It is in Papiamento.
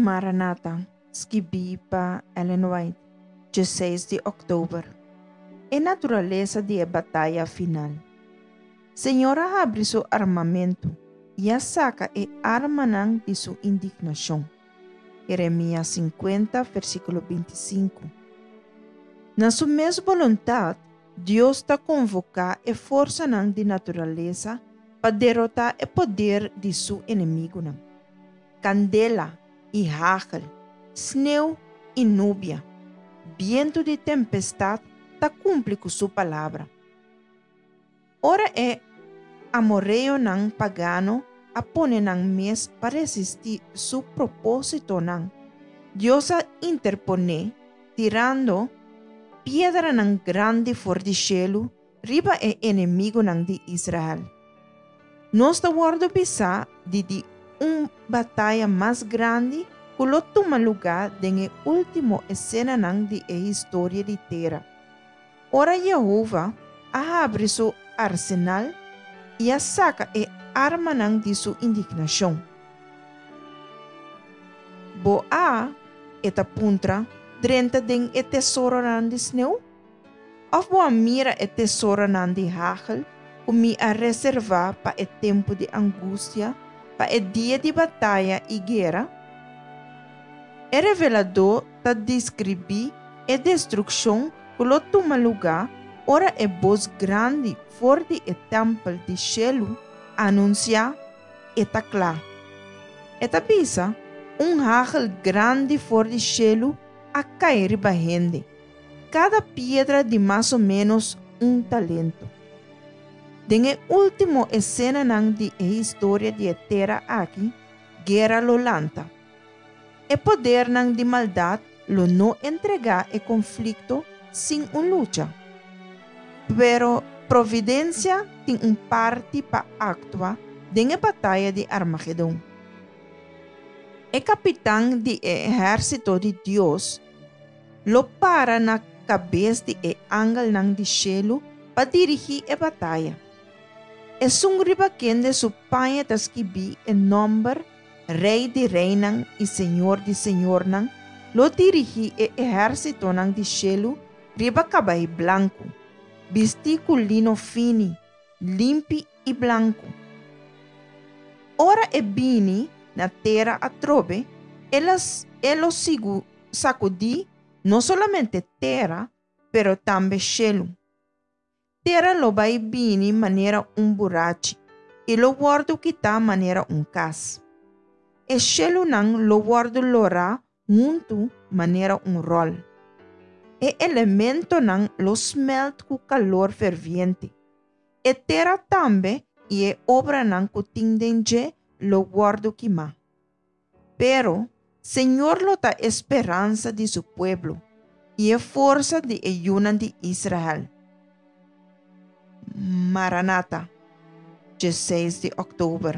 Maranata, skibí pa Ellen White, 16 di òktober. E naturalesa di e bataya final. Señor a habri su armamentu i a saka e armanan di su indignashon. Jeremias 50, versíkulo 25. Na su mes boluntat, Dios ta konvoká e forsanan di naturalesa pa derotá e poder di su enemigunan. Kandela i hagel, sneu i nubia, bientu di tempestat ta kumpli ku su palabra. Ora e amoreonan pagano a pone nan mes pa resistí su propósitonan, Dios a interponé tirando piedranan grandi for di shelu riba e enemigunan di Israel. Nos ta wòrdu bisá di di un bataya mas grandi ku lo tuma lugá den e último esenanan di e historia di tera. Ora Yehova a habri su arsenal i a saka e armanan di su indignashon. Bo a, e ta puntra, drenta den e tesoronan di sneu? Òf bo a mira e tesoronan di hagel ku mi a reservá pa e tempu di angustia, pa e dia di bataya i guera? E reveladó ta deskribí e destrukshon ku lo tuma lugá ora e bos grandi for di e tèmpel di shelu anunsiá, E ta kla! E ta bisa, Un hagel grandi for di shelu a kai riba hende, kada piedra di mas o ménos un talento. Den e último esenanan di e historia di e tera aki, guera lo lanta. E podernan di maldat lo no entregá e konflikto sin un lucha. Pero Providensia tin un parti pa aktua den e bataya di Armagedon. E kapitan di e ehérsito di Dios lo para na kabes di e angelnan di shelu pa dirigí e bataya. Esun riba kende su paña ta skibí e nòmber Rei di reinan i Señor di señornan lo dirigí e ehérsitonan di shelu riba kabai blanku, bistí ku lino fini, limpi i blanku. Ora e bini na tera atrobe, e lo sigu sakudí no solamente tera, pero tambe shelu. Tera lo bai bini manera un burachi i lo wòrdu kitá manera un kas. E shelunan lo wòrdu lorá huntu manera un ròl. E elementonan lo smèlt ku kalor ferviente. E tera tambe i e obranan ku tin den dje lo wòrdu kimá. Pero, Señor lo ta e speransa di su pueblo i e forsa di e yunan di Israel. Maranata, 16 di òktober.